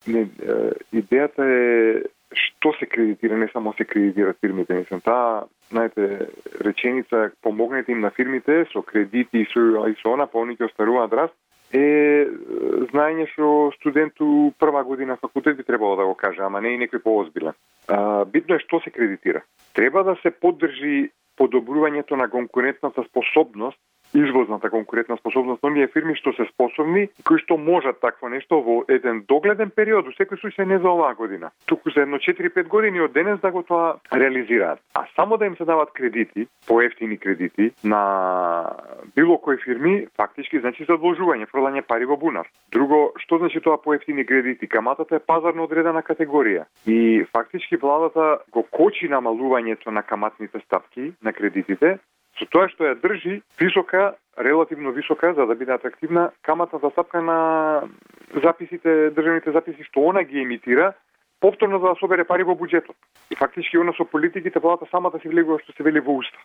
Идејата е што се кредитира, не само се кредитираат фирмите. Мислам, таа, знаете, реченица помогнете им на фирмите со кредити и со она, па они ќе остаруваат раст, е знаење што студенту прва година факултет би требало да го каже, ама не и некој поозбилен. Битно е што се кредитира. Треба да се поддржи подобрувањето на конкурентната способност, извозната конкурентна способност на оние фирми што се способни, кои што можат такво нешто во еден догледен период, во секој случај не за оваа година, туку за едно 4-5 години од денес да го тоа реализираат. А само да им се дават кредити, поевтини кредити на било кои фирми, фактички значи задолжување, фрлање пари во бунар. Друго, што значи тоа поевтини кредити? Каматата е пазарно одредена категорија и фактички владата го кочи намалувањето на каматните стапки на кредитите, со тоа што ја држи висока, релативно висока, за да биде атрактивна каматната стапка на записите, државните записи што она ги емитира, повторно за да собере пари во буџетот. И фактички она со политиките владата самата се влегува што се вели во уста.